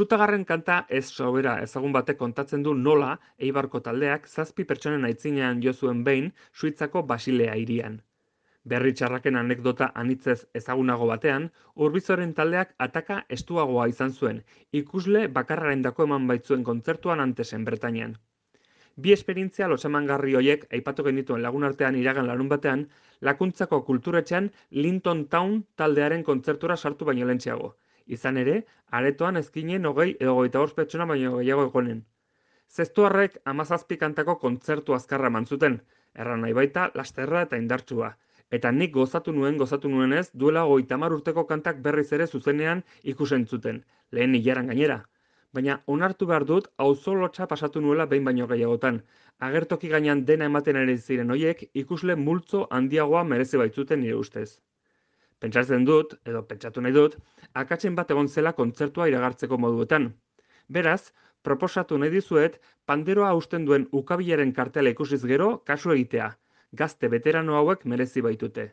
Zutagarren kanta ez sobera ezagun batek kontatzen du nola Eibarko taldeak 7 pertsonen aitzinean jo zuen behin Suitzako Basilea hirian. Berri txarraken anekdota anitzez ezagunago batean, Urbizoren taldeak ataka estuagoa izan zuen, ikusle bakarrarendako eman baitzuen kontzertuan Antesen Bretainian. Bi esperientzia lotsamangarri horiek aipatu genituen lagun artean iragan larun batean, Lakuntzako kulturetxean Linton Town taldearen kontzertura sartu baino lehentxeago. Izan ere, aretoan ezkinen 20 edo 25 pertsona baino gehiago egonen. Zestuarrek 17 kantako kontzertu azkarra eman zuten, erran nahi baita lasterra eta indartsua. Eta nik gozatu nuenez, duela 30 urteko kantak berriz ere zuzenean ikusentzuten, lehen hilaran gainera. Baina onartu behar dut auzolotsa pasatu nuela behin baino gehiagotan. Agertoki gainean dena ematen ari ziren hoiek ikusle multzo handiagoa merezi baitzuten nire ustez. Pentsatzen dut, edo pentsatu nahi dut, akatsen bat egon zela kontzertua iragartzeko moduetan. Beraz, proposatu nahi dizuet, panderoa hausten duen ukabilaren kartela ikusiz gero kasu egitea. Gazte veterano hauek merezi baitute.